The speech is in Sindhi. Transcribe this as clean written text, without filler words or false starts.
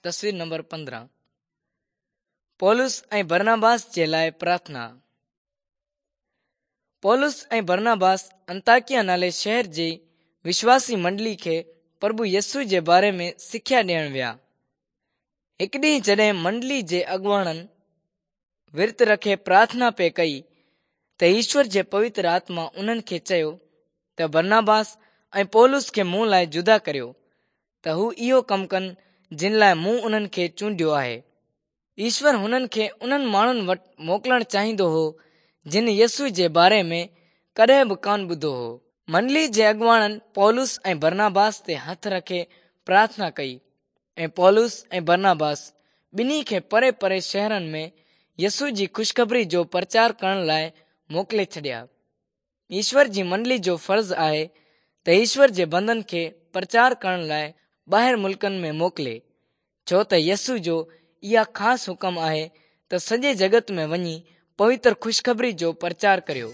تصوير نمبر 15 پولس ۽ برناباس جي لاء پرارٿنا. پولس ۽ برناباس انطاڪيه نالي شهر جي وشواسي منڊلي کي پرڀو يسوع جي باري ۾ سکيا ڏيڻ ويا. هڪ ڏينهن جڏهن منڊلي جي اڳواڻن ورت رکي پرارٿنا پئي ڪئي ته ايشور جي پوتر آتما انهن کي چيو ته برناباس ۽ پولس کي مون لاء جدا ڪريو ته هو اهو ڪم ڪن جن لاء مون انهن کي چونڊيو آهي. ايشور هنن کي انهن ماڻهن وٽ موڪلڻ چاهيندو هو جن يسوع جي باري ۾ ڪڏهن به ڪانه ٻڌو هو. منڊلي جي اڳواڻن پولس ۽ برناباس تي هٿ رکي پرارٿنا ڪئي ۽ پولس ۽ برناباس ٻنهي کي پري پري شهرن ۾ يسوع جي خوشخبري جو پرچار ڪرڻ لاء موڪلي ڇڏيا. ايشور جي منڊلي جو فرض آهي ته ايشور جي بندن کي پرچار ڪرڻ لاء ٻاهر ملڪن ۾ موڪلي، ڇو ته يسوع جو اها خاص حڪم آهي ته سڄي جڳت ۾ وڃي پوتر خوشخبري جو پرچار ڪريو.